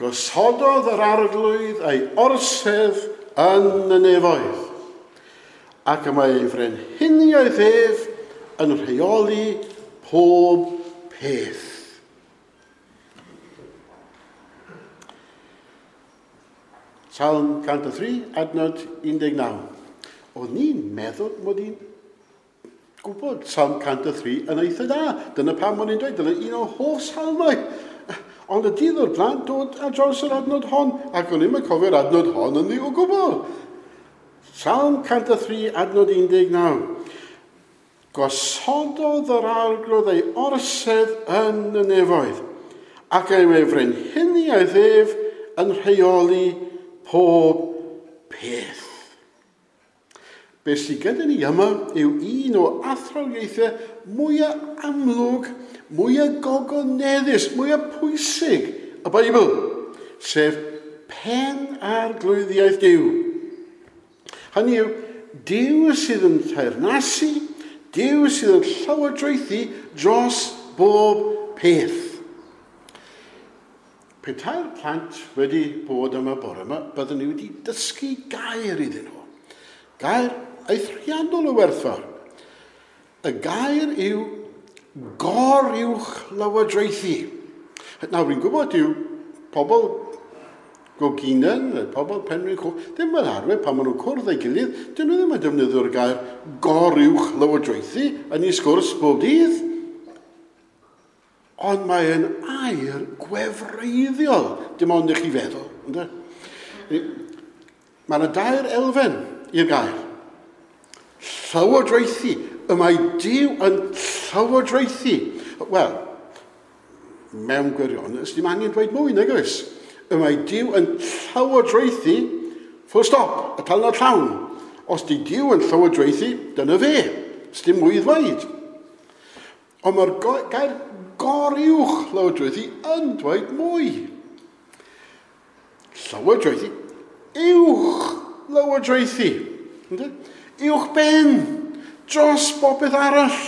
Gosododd yr Arglwydd ei orsedd yn y nefoedd, ac y mae ei frenhiniaeth ef yn rheoli pob peth. Salm 103, adnod 19. O'n i'n meddwl mod i'n gwybod Salm 103 yn eitha da. Dyna pam o'n i'n dweud, dyna un o hoff salmau. Ond y dydd o'r blaen dod ar draws yr adnod hon, ac o'n i'n cofio'r adnod hon yn ddi o gwbl. Salm 103, adnod 19. Gosododd yr Arglwydd ei orsedd yn y nefoedd, ac ei ei frenhiniaeth ef yn rheoli pob peth. Be sydd gyda ni yma yw un o athrawiaethau mwyaf amlwg, mwyaf gogoneddus, mwyaf pwysig y Beibl, sef pen arglwyddiaeth Duw. Hynny yw, Duw sydd yn teyrnasu, Duw sydd yn llywodraethu dros bob peth. Petai'r plant wedi bod yma bore yma, byddwn ni wedi dysgu gair iddyn nhw. Gair eithriadol o werthfawr. Y gair yw goruwch lywodraethu. Nawr, fi'n gwybod yw pobl Goginen, neu pobl Penrhyn Coch, ddim yn arfer pan maen nhw'n cwrdd ei gilydd, dyn nhw ddim yn defnyddio'r gair goruwch lywodraethu yn ei sgwrs bob dydd. Ond mae'n air gwefreiddiol, dim ond i chi feddwl. Ynde? Mae yna dair elfen i'r gair. Llywodraethu. Y mae Duw yn llywodraethu. Wel, mewn gwirionedd, dim angen dweud mwy, nag oes? Y mae Duw yn llywodraethu, full stop, y talnod llawn. Os di Duw yn llywodraethu, dyna fe. Dim mwy i ddweud. Ond mae'r gair goruwch lywodraethu yn dweud mwy. Llywodraethu, uwch lywodraethu. Uwch ben, dros bopeth arall.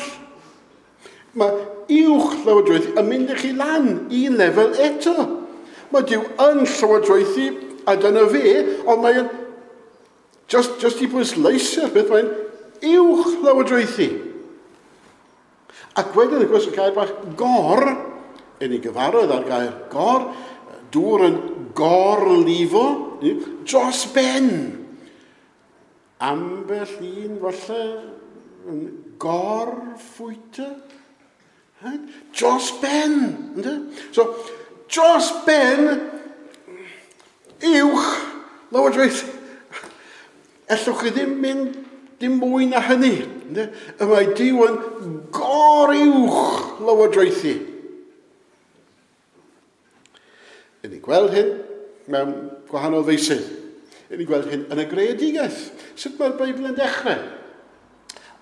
Mae uwch lywodraethu yn mynd i chi lan un lefel eto. Mae Duw yn llywodraethu a dyna fe, ond mae'n just i bwysleisio'r beth, mae'n uwch lywodraethu. Ac wedyn, wrth gwrs, y gair bach gor, yn ei gyfarwydd â'r gair gor, dŵr yn gorlifo, dros ben. Ambell un, falle, yn gorffwyta. Right? Dros ben. Ynddo? So, dros ben, uwch lywodraeth. Ellwch chi ddim mynd dim mwy na hynny. Ynddo? Y mae Duw yn goruwch lywodraethu. Yn ni gweld hyn mewn gwahanol feysydd. Yn ni gweld hyn yn y greadigaeth. Sut mae'r Beibl yn dechrau?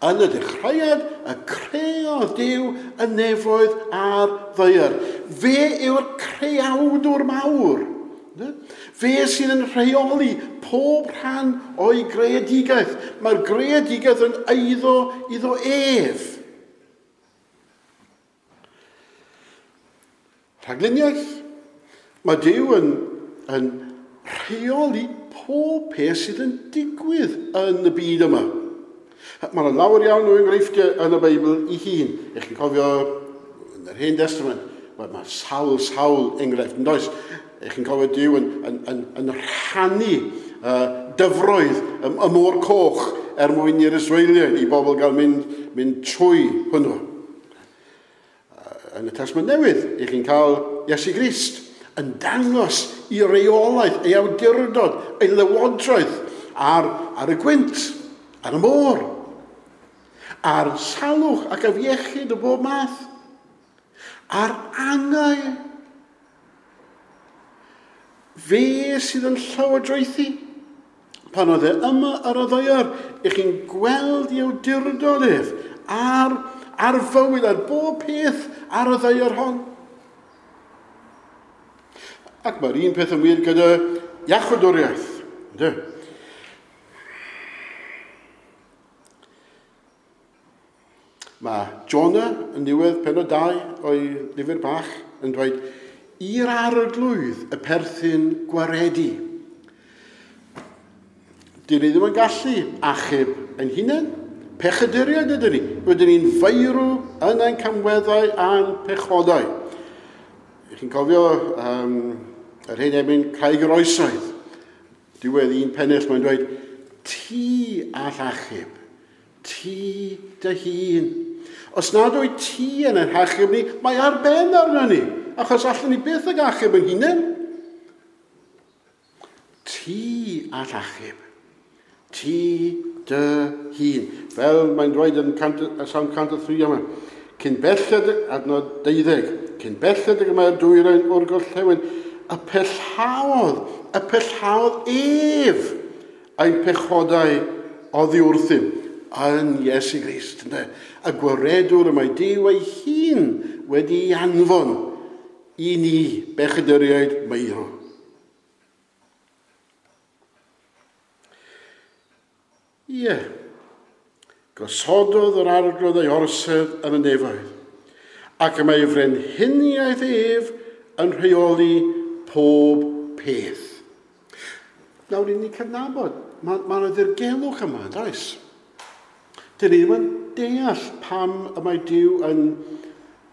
Yn y dechreuad, y creodd Duw y nefoedd a'r ddaear. Fe yw'r creawdwr mawr. Fe sydd yn rheoli pob rhan o'i greadigaeth. Mae'r greadigaeth yn eiddo iddo ef. Rhagluniaeth. Mae Duw yn rheoli pob peth sydd yn digwydd yn y byd yma. Mae yna lawer iawn o enghreifftiau yn y Beibl ei hun. Ych chi'n cofio yn yr Hen Testament, mae sawl enghraifft, yn does? Ych chi'n cofio Duw yn rhannu dyfroedd y môr coch er mwyn i'r Israeliaid, i bobl gael mynd trwy hwnnw. Yn y Testament Newydd, ych chi'n cael Iesu Grist yn dangos i reolaeth, ei awdurdod, ei lywodraeth ar y gwynt, ar y môr, ar salwch ac afiechyd o bob math, ar angau. Fe sydd yn llywodraethu. Pan oedd e yma ar y ddaear, ych chi'n gweld ei awdurdod ef ar fywyd, ar bob peth ar y ddaear hon. Ac mae'r un peth yn wir gyda iachawdwriaeth. Ynddo? Mae Jonah yn diwedd pennod 2 o'i lyfr bach yn dweud, I'r Arglwydd y perthyn gwaredu. Dyn ni ddim yn gallu achub ein hunain. Pechaduriaid ydyn ni. Rydyn ni'n feirw yn ein camweddau a'n pechodau. Chi'n cofio yr hen emyn Craig yr Oesoedd. Diwedd un pennill mae'n dweud, ti all achub, ti dy hun. Os nad wyt ti yn ein hachub ni, mae ar ben arno ni, achos allwn ni byth ag achub ein hunain. Ti all achub, ti dy hun. Fel mae'n dweud yn Salm 103 yma, cyn belled, adnod 12, cyn belled ag y mae'r dwyrain o'r gorllewin, y pellhaodd ef ein pechodau oddi wrthym yn Iesu Grist. Ynde? Y gwaredwr y mae Duw ei hun wedi ei anfon i ni bechaduriaid meirw. Ie, gosododd yr Arglwydd ei orsedd yn y nefoedd, ac y mae ei frenhiniaeth ef yn rheoli pob peth. Nawr, i ni cydnabod, mae yna ddirgelwch yma, does? Dyn ni ddim yn deall pam y mae Duw yn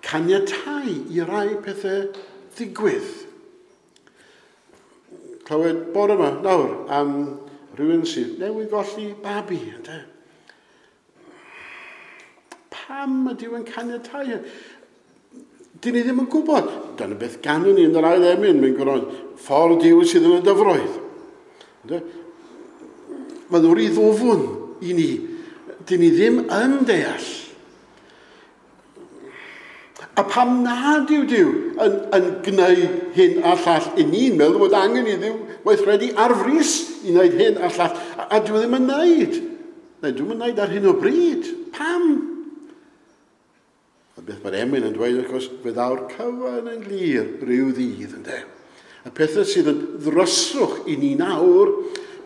caniatáu i rai pethau ddigwydd. Clywed bore yma nawr am rhywun sydd newydd golli babi, ynde? Pam ydy Duw yn caniatáu hyn? Dyn ni ddim yn gwybod. Dyna beth ganwn ni yn yr ail emyn, mae'n gwrando, ffordd Duw sydd yn y dyfroedd. Ynde? Mae'n rhy ddwfwn i ni. Dyn ni ddim yn deall. A pam nad yw Duw yn gwneud hyn a llall i ni'n meddwl bod angen i Dduw weithredu ar frys i wneud hyn a llall. A dwi ddim yn wneud. Neu dwi'm yn wneud ar hyn o bryd. Pam? A beth mae'r emyn yn dweud, wrth gwrs, fe ddaw'r cyfan yn glir rhyw ddydd, ynde. Y pethau sydd yn ddryswch i ni nawr,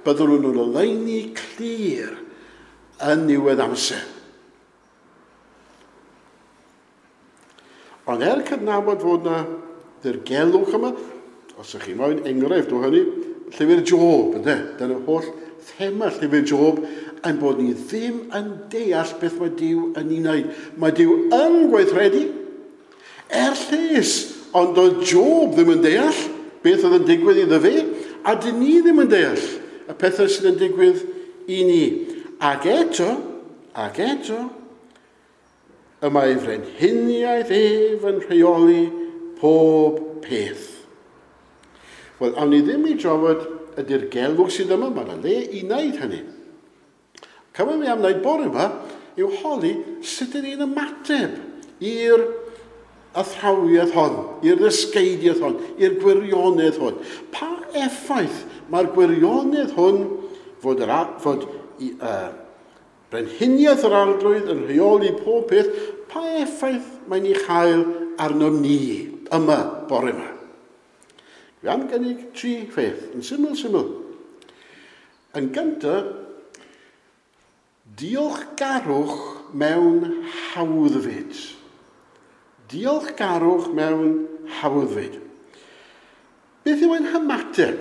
byddwn nhw'n oleuni clir yn niwedd amser. Ond er cydnabod fod yna ddirgelwch yma, os ydych chi moyn enghraifft o hynny, llyfr Job, ynde? Dyna holl thema llyfr Job, ein bod ni ddim yn deall beth mae Duw yn ei wneud. Mae Duw yn gweithredu er lles, ond doedd Job ddim yn deall beth oedd yn digwydd iddo fe, a dyn ni ddim yn deall y pethau sydd yn digwydd i ni. Ac eto, y mae frenhiniaeth ef yn rheoli pob peth. Wel, awn ni ddim i drafod y dirgelwch sydd yma, mae yna le i wneud hynny. Cyfan fi am wneud bore yma yw holi sut ydyn ni'n ymateb i'r athrawiaeth hon, i'r ddysgeidiaeth hon, i'r gwirionedd hwn. Pa effaith mae'r gwirionedd hwn fod brenhiniaeth yr Arglwydd yn rheoli pob peth, pa effaith mae'n ei chael arnom ni yma bore yma? Dwi am gynnig tri pheth, yn syml. Yn gyntaf, diolchgarwch mewn hawddfyd. Diolchgarwch mewn hawddfyd. Beth yw ein hymateb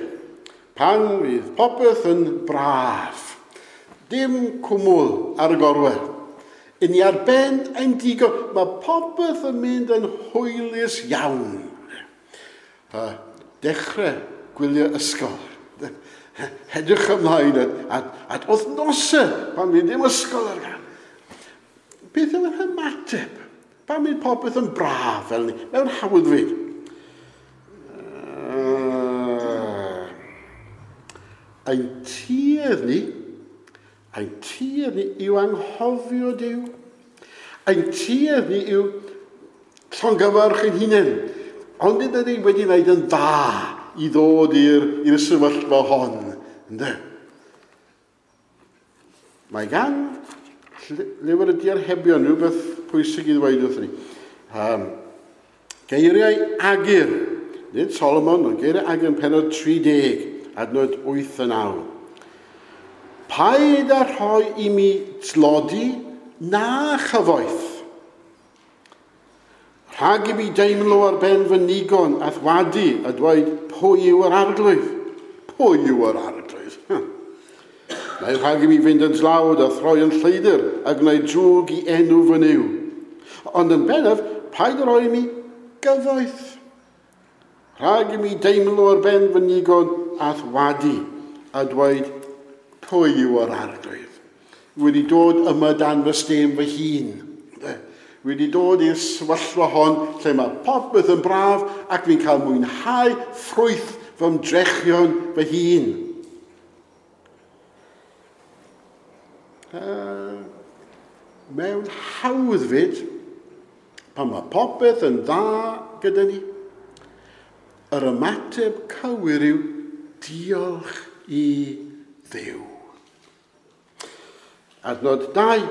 pan fydd popeth yn braf? Dim cwmwl ar y gorwel. I ni ar ben ein digon. Mae popeth yn mynd yn hwylus iawn. Dechrau gwylio ysgol. Edrych ymlaen at wythnosau pan fydd dim ysgol ar gael. Beth yw'r hymateb? Pan fydd popeth yn braf fel ni, mewn hawddfyd? Ein tuedd ni yw anghofio Duw. Ein tuedd ni yw llongyfarch ein hunain. Ond ydyn ni wedi wneud yn dda i ddod i'r sefyllfa hon. Ynde? Mae gan lyfr y Diarhebion rhywbeth pwysig i ddweud wrthyn ni. Geiriau Agur, nid Solomon, ond geiriau Agur yn pennod 30, adnod 8 a 9. Paid â rhoi i mi tlodi na chyfoeth. Rhag i mi deimlo ar ben fy nigon a thwadu a dweud pwy yw yr arglwydd? Pwy yw yr arglwydd? Neu rhag i mi fynd yn dlawd a throi yn lleidr a gwneud drwg i enw fy Nuw. Ond yn bennaf, paid â rhoi i mi gyfoeth. Rhag i mi deimlo ar ben fy nigon a thwadu a dweud pwy yw yr arglwydd. Wedi dod yma dan fy stêm fy hun. Wedi dod i'r sefyllfa hon lle mae popeth yn braf ac fi'n cael mwynhau ffrwyth fy ymdrechion fy hun. Mewn hawddfyd, pan mae popeth yn dda gyda ni, yr ymateb cywir yw diolch i Dduw. Adnod 2.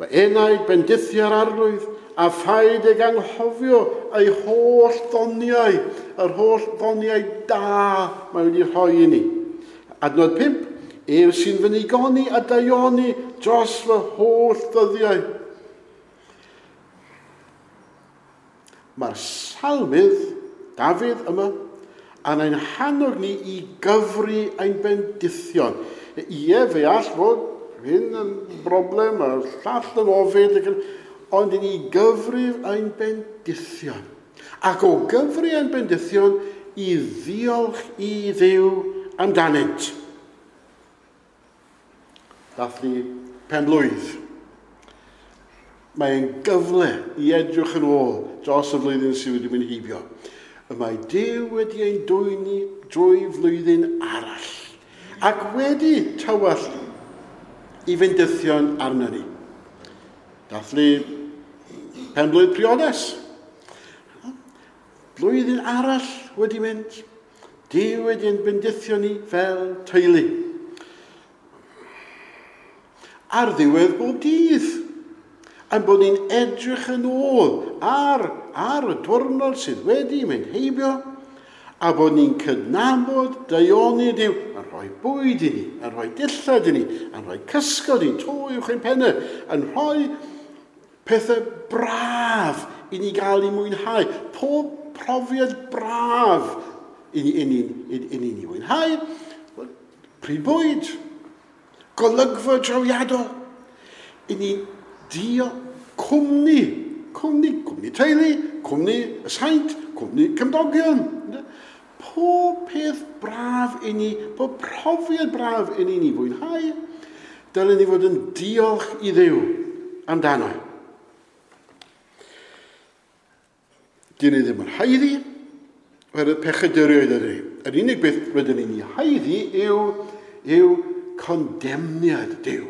Fy enaid bendithia'r arglwydd a phaid ag anghofio ei holl ddoniau, yr holl ddoniau da mae wedi rhoi i ni. Adnod 5. Ef sy'n fy nigoni a daioni dros fy holl ddyddiau. Mae'r salmydd, Dafydd yma, yn ein hannog ni i gyfri ein bendithion. Ie, fe all fod hyn yn broblem, a'r llall yn ofid, ond i ni gyfrif ein bendithion. Ac o gyfri ein bendithion, i ddiolch i Dduw amdanynt. Dathlu pen-blwydd. Mae'n gyfle i edrych yn ôl dros y flwyddyn sydd wedi mynd heibio. Y mae Duw wedi ein dwyn ni drwy flwyddyn arall ac wedi tywallt i fendithion arno ni. Dathlu pen-blwydd priodas. Blwyddyn arall wedi mynd. Duw wedi ein bendithio ni fel teulu. Ar ddiwedd bob dydd, ein bod ni'n edrych yn ôl ar, ar y diwrnod sydd wedi mynd heibio, a bod ni'n cydnabod daioni Duw yn rhoi bwyd i ni, yn rhoi dillad i ni, yn rhoi cysgod i ni, to uwch ein pennau, yn rhoi pethau braf i ni gael ei mwynhau. Pob profiad braf i ni, i ni, i, i ni, ni mwynhau. Pryd bwyd, golygfa drawiadol, i ni dio cwmni, cwmni, cwmni teulu, cwmni y saint, cwmni cymdogion. Pob peth braf i ni, pob profiad braf i ni ni fwynhau, dylen ni fod yn diolch i Dduw amdano. Dyn ni ddim yn haeddu, oherwydd pechaduriaid ydyn ni. Yr unig beth rydyn ni'n ei haeddu yw, yw condemniad Duw,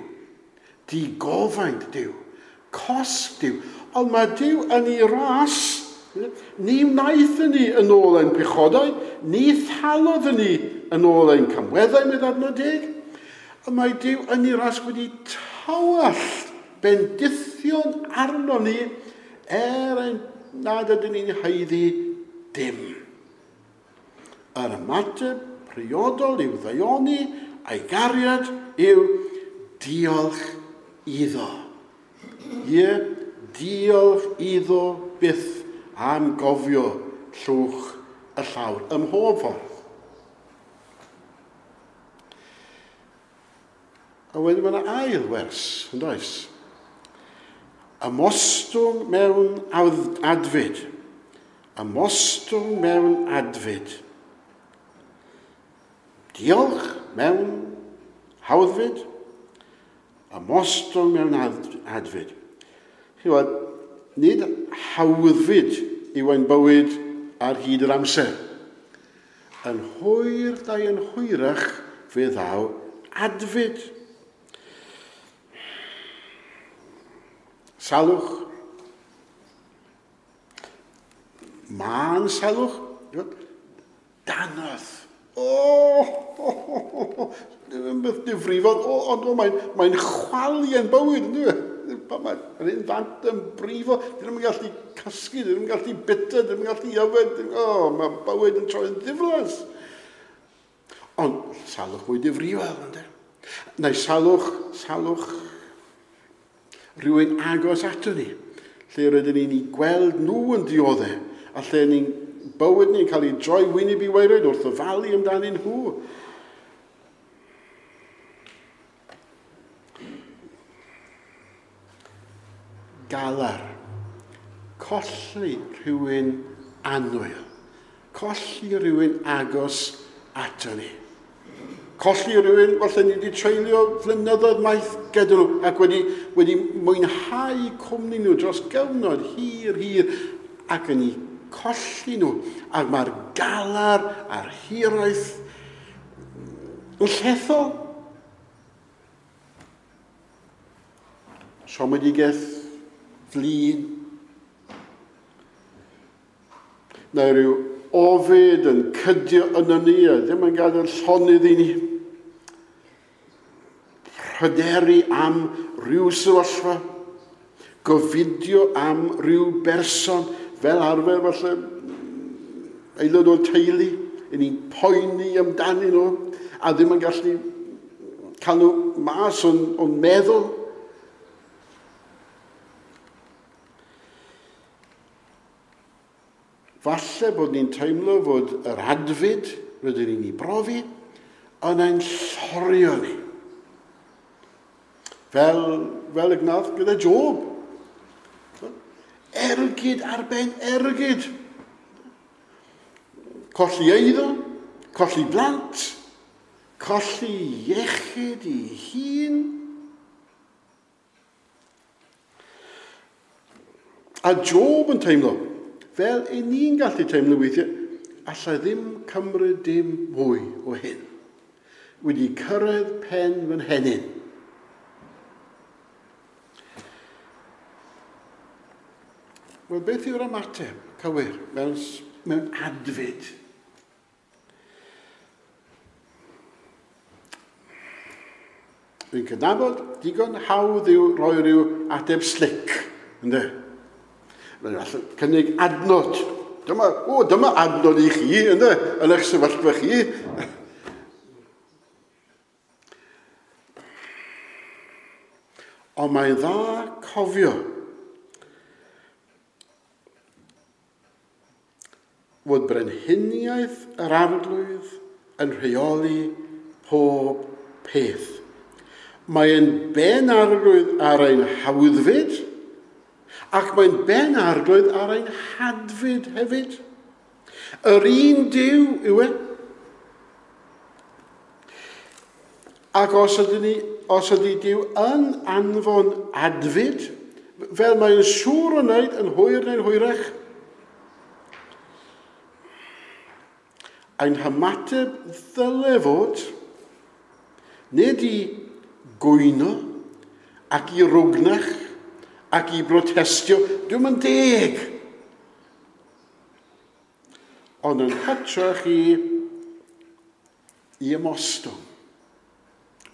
digofaint Duw, cosb Duw. Ond mae Duw yn ei ras, ni wnaeth ni yn ôl ein pechodau, ni thalodd ni yn ôl ein camweddau, medd adnod 10. Ond mae Duw yn ei ras wedi tywallt bendithion arno ni er ein nad ydyn ni'n haeddu dim. Yr ymateb priodol i'w ddaioni a'i gariad yw diolch iddo. Ie, diolch iddo byth am gofio llwch y llawr ym mhob ffordd. A wedyn mae yna ail wers, yn does? Ymostwng mewn adfyd. Ymostwng mewn adfyd. Diolch mewn hawddfyd. Ymostwng mewn adfyd. Chi'n gwybod, nid hawddfyd yw ein bywyd ar hyd yr amser. Yn hwyr dau yn hwyrach fe ddaw adfyd. Salwch. Mân salwch. Danodd. O, ddim beth difrifol, ond mae'n mae chwalu yn bywyd, yn dwi? Mae'r un ddant yn brifo, dyn nhw'n gallu cysgu, dyn nhw'n gallu bita, dyn nhw'n gallu yfed, mae bywyd yn troi'n ddiflas. Ond salwch mwy difrifol, ynddo? Neu salwch, salwch rhywun agos ato ni, Lle rydyn ni'n ei gweld nhw yn dioddef, a lle ni'n bywyd ni'n cael ei droi wyneb i waered wrth ofalu amdanyn nhw. Galar. Colli rhywun annwyl. Colli rhywun agos ato ni. Colli rhywun, falle ni wedi treulio flynyddoedd maith gyda nhw ac wedi mwynhau cwmni nhw dros gyfnod hir, hir, ac yn eu colli nhw. Ac mae'r galar a'r hiraeth yn llethol. Siomedigaeth flin. Neu rhyw ofid yn cydio yno ni a ddim yn gadael llonydd i ni. Pryderu am ryw sefyllfa, gofidio am ryw berson, fel arfer falle aelod o'r teulu, i ni'n poeni amdanyn nhw a ddim yn gallu cael nhw mas o'n meddwl. Falle bod ni'n teimlo fod yr adfyd rydyn ni'n ei brofi yn ein llorio ni. Fel y gnath gyda Job. Ergyd ar ben ergyd. Colli eiddo, colli blant, colli iechyd ei hun. A Job yn teimlo, fel i ni'n gallu teimlo weithiau, allai ddim cymryd dim mwy o hyn. Wedi cyrraedd pen fy nhenyn. Wel, beth yw'r ymateb cywir mewn adfyd? Dwi'n cydnabod, digon hawdd yw rhoi rhyw ateb slick, ynddo? Mae'n allan cynnig adnod. Dyma adnod i chi, ynddo? Yn eich sefyllfa chi. Ond mae'n dda cofio fod brenhiniaeth yr Arglwydd yn rheoli pob peth. Mae'n ben arglwydd ar ein hawddfyd, ac mae'n ben arglwydd ar ein hadfyd hefyd. Yr un Duw yw e. Ac os ydy Duw yn anfon adfyd, fel mae'n siŵr o wneud yn hwyr neu'n hwyrach, ein hymateb ddyle fod, nid i gwyno ac i rwgnach ac i brotestio, dwi'm yn deg. Ond yn hytrach i ymostwng.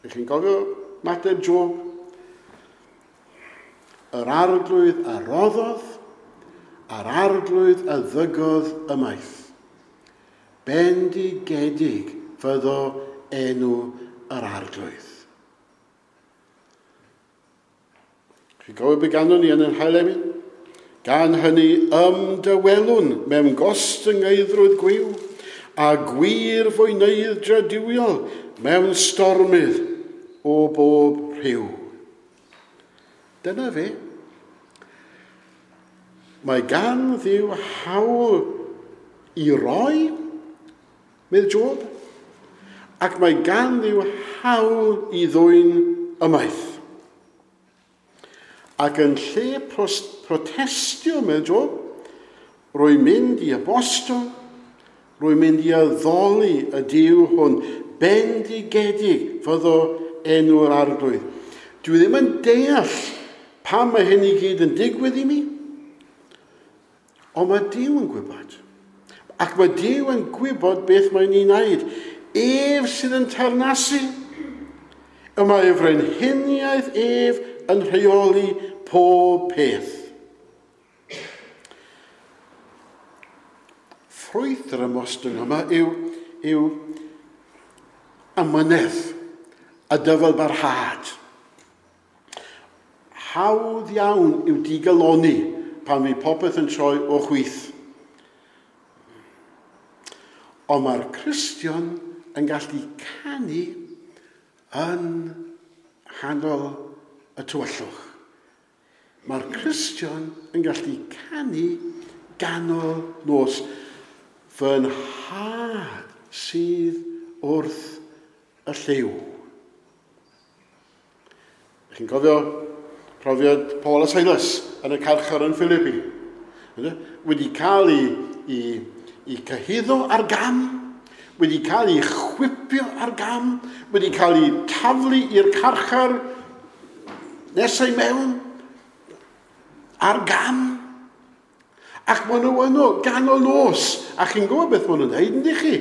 Ych chi'n cofio mateb Job? Yr Arglwydd a roddodd, a'r Arglwydd a ddygodd ymaith. Bendigedig fyddo enw yr Arglwydd. Chi'n cofio beth ganon ni yn yr hail emyn? Gan hynny ymdawelwn mewn gostyngeiddrwydd gwiw a gwir fwyneidd duwiol mewn stormydd o bob rhyw. Dyna fe. Mae gan Dduw hawl i roi, medd Job, ac mae gan Dduw hawl i ddwyn ymaith. Ac yn lle protestio, medd Job, rwy'n mynd i abostol, rwy'n mynd i addoli y Duw hwn, bendigedig fyddo enw'r Arglwydd. Dwi ddim yn deall pam mae hyn i gyd yn digwydd i mi, ond mae Duw yn gwybod. Ac mae Duw yn gwybod beth mae'n ei wneud. Ef sydd yn teyrnasu. Y mae ei frenhiniaeth ef yn rheoli pob peth. Ffrwyth yr ymostwng yma yw amynedd a dyfalbarhad. Hawdd iawn yw digaloni pan fydd popeth yn troi o chwith. Ond mae'r Cristion yn gallu canu yn nghanol y tywyllwch. Mae'r Cristion yn gallu canu ganol nos. Fy nhad sydd wrth y llyw. Chi'n cofio profiad Paul a Silas yn y carchar yn Philippi? Wedi cael ei cyhuddo ar gam, wedi cael ei chwipio ar gam, wedi cael ei taflu i'r carchar nesau mewn ar gam. Ac maen nhw yno ganol nos. A chi'n gwybod beth maen nhw'n dweud, yndych chi?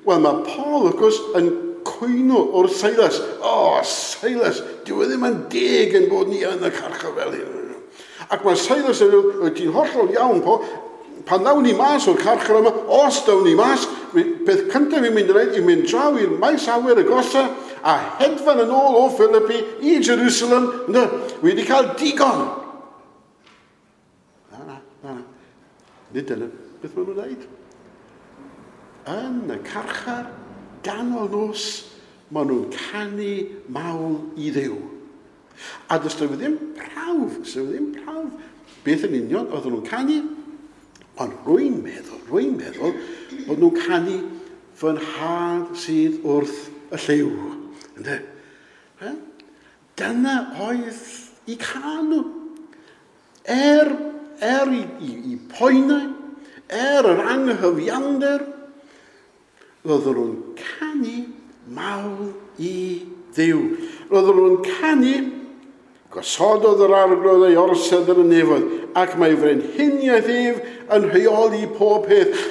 Wel, mae Paul, wrth gwrs, yn cwyno wrth Silas. O, oh, Silas, dyw e ddim yn deg yn bod ni yn y carchar fel hyn. Ac mae Silas yn dweud, ti'n hollol iawn, Paul, pan ddawn ni mas o'r carchar yma, os dawn ni mas, peth cyntaf fi'n mynd i wneud, i'n mynd draw i'r maes awyr agosa a hedfan yn ôl o Philippi i Jerusalem. Ynddo, wi wedi cael digon. Na, na, na, na. Nid dyna beth maen nhw'n dweud. Yn y carchar, ganol nos, maen nhw'n canu mawl i Dduw. A does 'na ddim prawf, does 'na ddim prawf beth yn union oedden nhw'n canu, ond rwy'n meddwl bod nhw'n canu fy nhad sydd wrth y llyw. Ynde? Dyna oedd eu cân nhw. Er i poenau, er yr anghyfiawnder, roedden nhw'n canu mawl i Dduw. Roedden nhw'n canu, gosododd yr arglwydd ei orsedd yn y nefoedd, ac mae frenhiniaeth ef yn rheoli pob peth.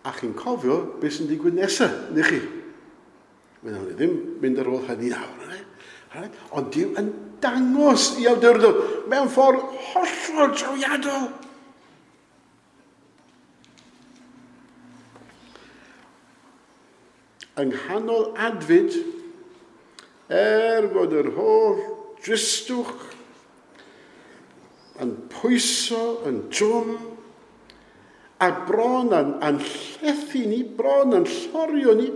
A chi'n cofio beth sy'n digwydd nesaf, ydych chi? Wnawn ni ddim mynd ar ôl hynny nawr. Right? Ond Duw yn dangos i awdurdod mewn ffordd hollol drawiadol. Yng nghanol adfyd, er bod yr holl dristwch yn pwyso, yn drwm, a bron yn llethu ni, bron yn llorio ni,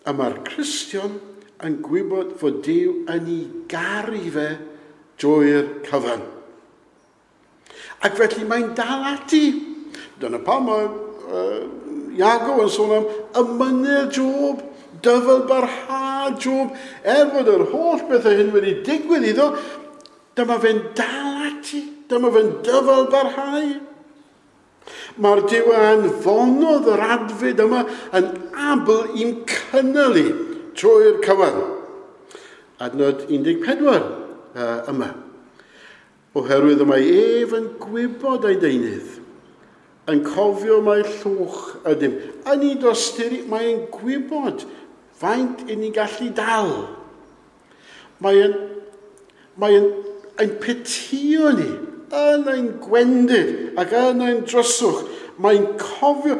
a mae'r Cristion yn gwybod fod Duw yn ei garu fe drwy'r cyfan. Ac felly mae'n dal ati. Dyna pam mae Iago yn sôn am ymynedd Job, dyfal barhad Job. Er fod yr holl bethau hyn wedi digwydd iddo, dyma fe'n dal ati, dyma fe'n dyfal barhau. Mae'r Duw a anfonodd yr adfyd yma yn abl i'n cynnal i trwy'r cyfan. Adnod 14 yma. Oherwydd y mae ef yn gwybod ei deunydd, yn cofio mai llwch ydym. Yn ei dosturi, mae'n gwybod faint i ni'n gallu dal. Mae'n petio ni yn ein gwendid ac yn ein dryswch. Mae'n cofio,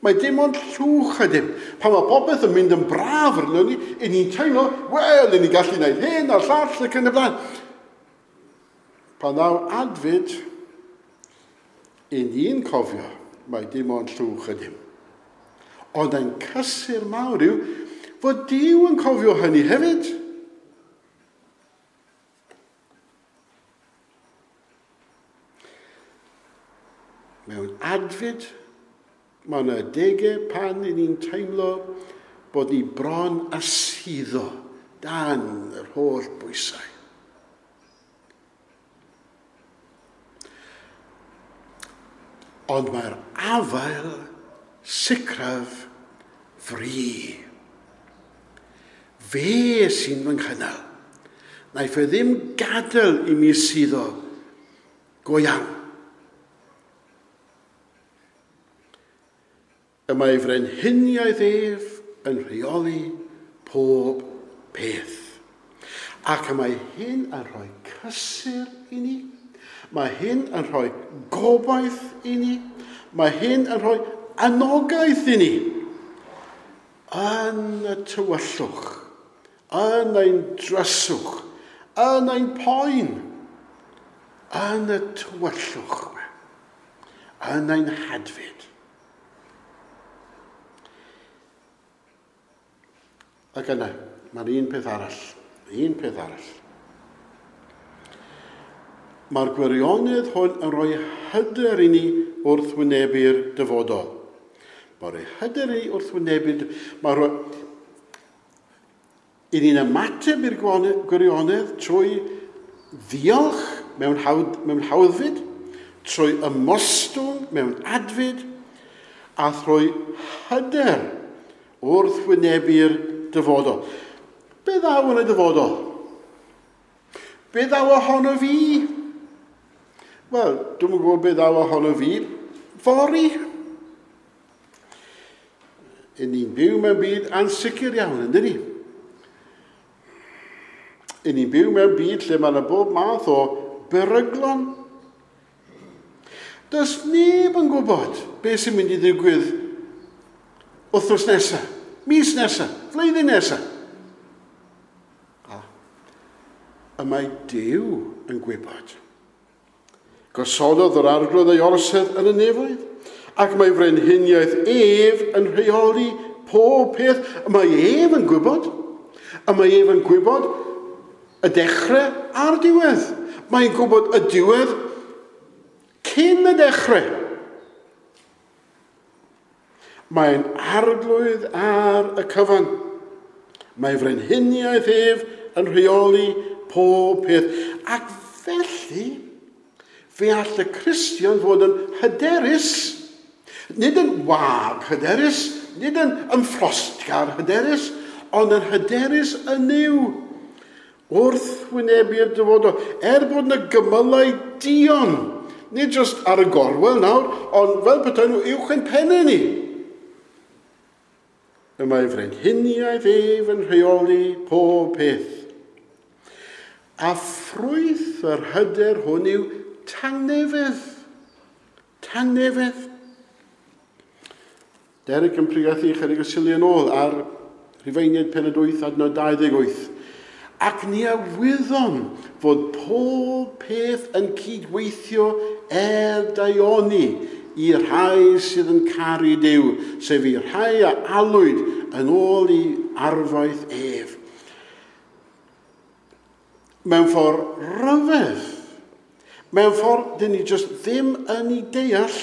mae dim ond llwch ydym. Pan mae popeth yn mynd yn braf arno ni, i ni'n teimlo, wel, i ni'n gallu gwneud hyn a'r llall ac yn y blaen. Pan ddaw adfyd, i ni'n cofio, mae dim ond llwch ydym. Ond ein cysur mawr yw fod Duw yn cofio hynny hefyd. Mewn adfyd, mae yna adegau pan i ni'n teimlo bod ni bron a suddo dan yr holl bwysau. Ond mae'r afael sicraf fri. Fe sy'n fy nghynnal. Naiff e ddim gadael i mi suddo go iawn. Y mae frenhiniaeth ef yn rheoli pob peth. Ac y mae hyn yn rhoi cysur i ni. Mae hyn yn rhoi gobaith i ni. Mae hyn yn rhoi anogaeth i ni. Yn y tywyllwch, yn ein dryswch, yn ein poen. Yn y tywyllwch yma, yn ein hadfyd. Ac yna, mae'n un peth arall. Un peth arall. Mae'r gwirionedd hwn yn rhoi hyder i ni wrth wynebu'r dyfodol. Mae'n rhoi hyder i ni wrth wynebu'r... Mae'n rhoi... I ni'n ymateb i'r gwirionedd trwy ddiolch mewn hawddfyd, trwy ymostwng mewn adfyd, a thrwy hyder wrth wynebu'r dyfodol. Be ddaw yn y dyfodol? Be ddaw ohono fi? Wel, dwi'm yn gwybod be ddaw ohono fi. Fory. Yn ni'n byw mewn byd ansicr iawn, yndyn ni? Yn ni'n byw mewn byd lle mae yna bob math o beryglon. Does neb yn gwybod beth sy'n mynd i ddigwydd wythnos nesaf, mis nesaf, flwyddyn nesaf. A mae Duw yn gwybod. Gosododd yr Arglwydd ei orsedd yn y nefoedd, ac mae frenhiniaeth ef yn rheoli pob peth. Y mae ef yn gwybod. Y mae ef yn gwybod y dechrau a'r diwedd. Mae'n gwybod y diwedd cyn y dechrau. Mae'n arglwydd ar y cyfan. Mae frenhiniaeth ef yn rheoli pob peth. Ac felly, fe all y Cristion fod yn hyderus, nid yn wag hyderus, nid yn ymffrostgar hyderus, ond yn hyderus yn Nuw. Wrth wynebu'r dyfodol, er bod yna gymylau duon, nid jyst ar y gorwel nawr, ond fel petai nhw uwch ein pennau ni. Y mae frenhiniaeth ef yn rheoli pob peth. A ffrwyth yr hyder hwn yw tangnefedd. Tangnefedd. Derek yn pregethu chydig o Suliau yn ôl ar Rhufeiniaid pennod 8 adnod 28. Ac ni a wyddom fod pob peth yn cydweithio er daioni i'r rhai sydd yn caru Duw, sef i'r rhai a alwyd yn ôl i arfaeth ef. Mewn ffordd rhyfedd, mewn ffordd dyn ni jyst ddim yn ei deall,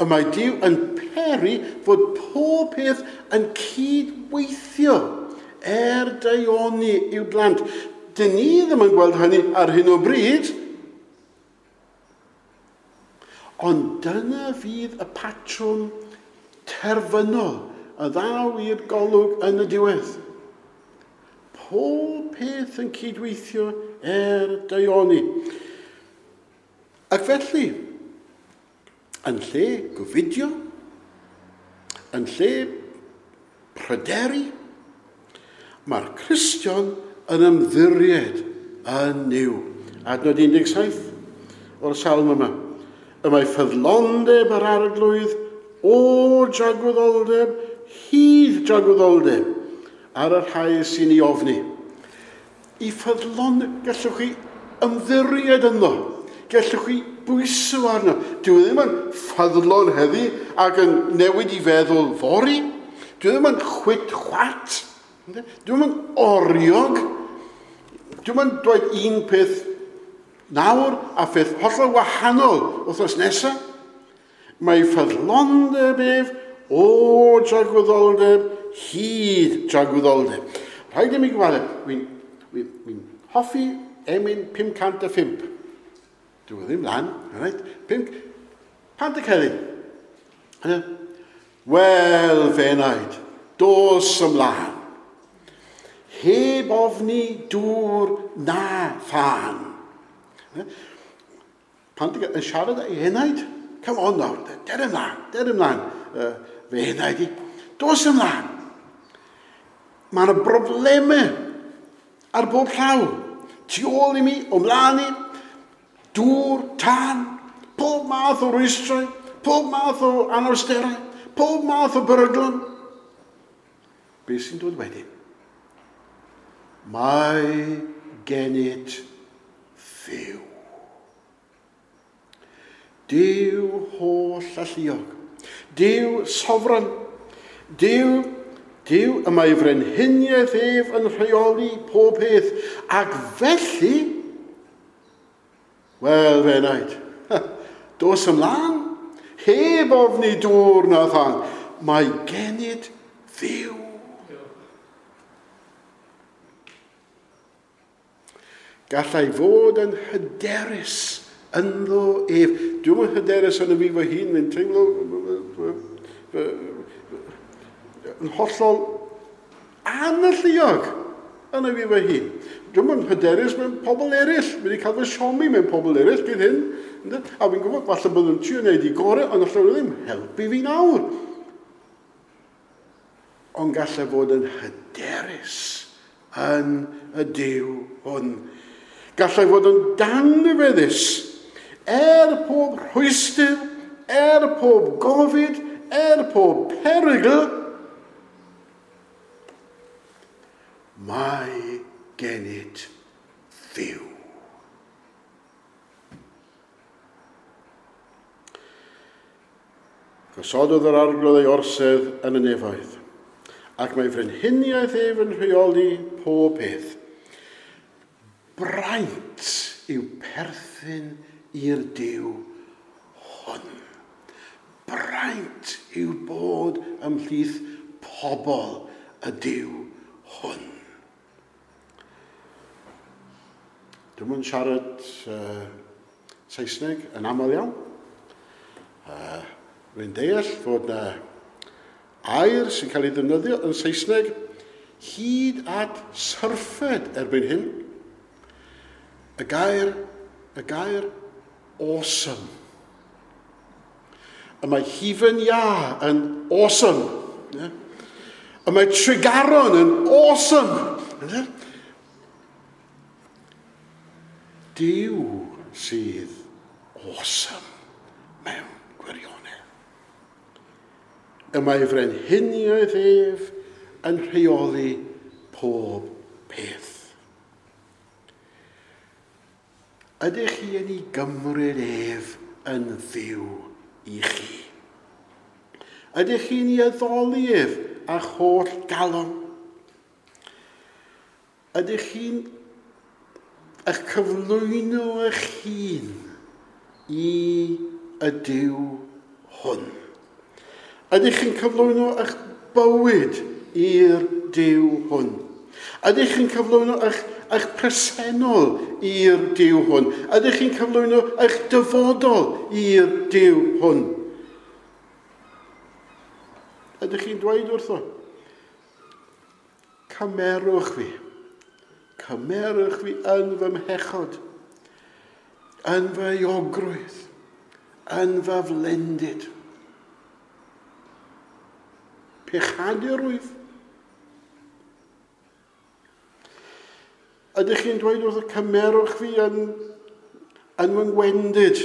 y mae Duw yn peri fod pob peth yn cydweithio er daioni i'w blant. Dyn ni ddim yn gweld hynny ar hyn o bryd, ond dyna fydd y patrwm terfynol a ddaw i'r golwg yn y diwedd. Pob peth yn cydweithio er daioni. Ac felly, yn lle gofidio, yn lle pryderu, mae'r Cristion yn ymddiried yn Nuw. Adnod 17 o'r salm yma. Y mae ffyddlondeb yr Arglwydd o dragwyddoldeb hyd dragwyddoldeb ar y rhai sy'n ei ofni. I ffyddlondeb, gallwch chi ymddiried ynddo. Gallwch chi bwyso arno. Dyw e ddim yn ffyddlon heddi ac yn newid i feddwl fory. Dyw e ddim yn chwit chwat. Dyw e ddim yn oriog. Dyw e ddim yn dweud un peth nawr a pheth hollol wahanol wythnos nesaf. Mae ffyddlondeb ef o dragwyddoldeb hyd dragwyddoldeb. Rhaid i mi gyfaddef, dwi'n hoffi emyn 505. Dwi ddim lan, right? Pantycelyn. Wel, fenaid, dos ymlaen. Heb ofni dŵr na thân. Pan ti'n yn siarad â'i enaid, come on nawr, der ymlaen, der ymlaen, fe enaid i, dos ymlaen. Mae yna broblemau ar bob llaw. Tu ôl i mi, o mlaen i, dŵr, tân, pob math o rwystrau, pob math o anawsterau, pob math o beryglon. Be sy'n dod wedyn? Mae gennyt Dduw. Duw holl alluog, Duw sofran, Duw y mae frenhiniaeth ef yn rheoli pob peth, ac felly, wel fe wnaed, dos ymlaen, heb ofni dŵr na thân, mae gennyt Dduw. Gallai fod yn hyderus ynddo ef. Dwi'm yn hyderus yn y fi fy hun, mae'n teimlo yn hollol analluog yn y fi fy hun. Dwi'm yn hyderus mewn pobl eraill. Fi wedi cael fy siomi mewn pobl eraill gyda hyn. A fi'n gwybod, falle byddwn nhw'n trio wneud i gorau, ond allan nhw ddim helpu fi nawr. Ond gallai fod yn hyderus yn y Duw hwn. Gallai fod yn dangnefeddus er pob rhwystr, er pob gofid, er pob perygl, mae gennyt Dduw. Gosododd yr Arglwydd ei orsedd yn y nefoedd, ac mae frenhiniaeth ef yn rheoli pob peth. Braint yw perthyn i'r Duw hwn. Braint yw bod ymhlith pobl y Duw hwn. Dwi'm yn siarad Saesneg yn aml iawn. Rwy'n deall fod na air sy'n cael ei ddefnyddio yn Saesneg hyd at syrffed erbyn hyn. Y gair awesome. Y mae hufen iâ yn awesome. Y mae Tregaron yn awesome. Duw sydd awesome mewn gwirionedd. Y mae frenhiniaeth ef yn rheoli pob peth. Ydych chi yn ei gymryd ef yn Dduw i chi? Ydych chi'n ei addoli ef â'ch holl galon? Ydych chi'n eich cyflwyno eich hun i y Duw hwn? Ydych chi'n cyflwyno eich bywyd i'r Duw hwn? Ydych chi'n cyflwyno eich presennol i'r Duw hwn? Ydych chi'n cyflwyno eich dyfodol i'r Duw hwn? Ydych chi'n dweud wrtho, cymerwch fi yn fy mhechod, yn fy euogrwydd, yn fy flendid. Pechadurwydd. Ydych chi'n dweud wrtho, cymerwch fi yn fy ngwendid,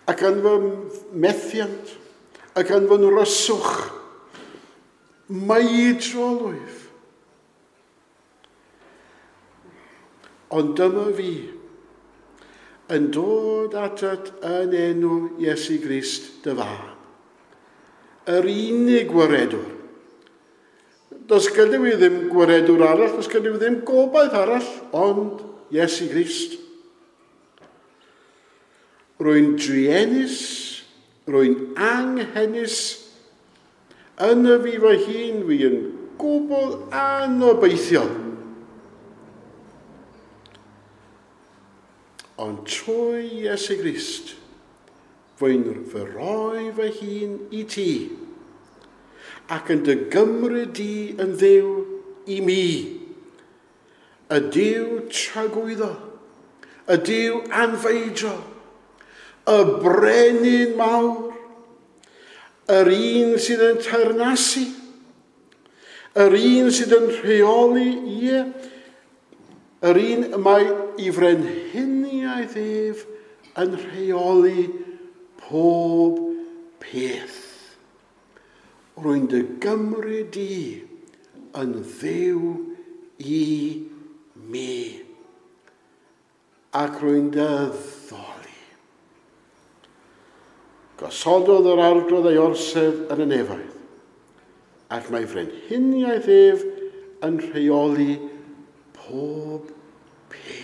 ac yn fy methiant, ac yn fy nryswch, meidrolwyf. Ond dyma fi, yn dod atat yn enw Iesu Grist dy fab, yr unig waredwr. Does gyda fi ddim gwaredwr arall, does gyda fi ddim gobaith arall, ond Iesu Grist. Rwy'n druenus, rwy'n anghenus, yn y fi fy hun fi yn gwbl anobeithiol. Ond trwy Iesu Grist, fwy'n fy roi fy hun i ti, ac yn dy gymryd di yn Dduw i mi, y Duw tragwyddo, y Duw anfeidrol, y brenin mawr, yr un sydd yn teyrnasu, yr un sydd yn rheoli, ie, yr un y mae i frenhiniaeth ef yn rheoli pob peth. Rwy'n dy gymryd di yn Dduw i mi, ac rwy'n dy addoli. Gosododd yr Arglwydd ei orsedd yn y nefoedd, ac mae frenhiniaeth ef yn rheoli pob peth.